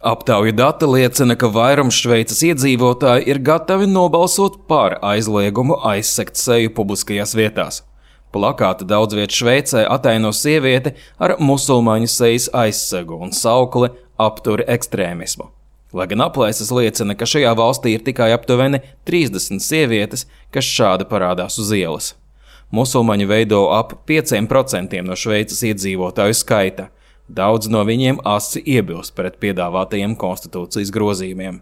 Aptauju dati liecina, ka vairums Šveices iedzīvotāji ir gatavi nobalsot par aizliegumu aizsegt seju publiskajās vietās. Plakāti daudz viet Šveicē ataino sievieti ar musulmaņu sejas aizsegu un saukli aptur ekstrēmismu. Lai gan aplēses liecina, ka šajā valstī ir tikai aptuveni 30 sievietes, kas šādi parādās uz ielas. Musulmaņi veido ap 5% no Šveices iedzīvotāju skaita. Daudz no viņiem asi iebilst pret piedāvātajiem konstitūcijas grozījumiem.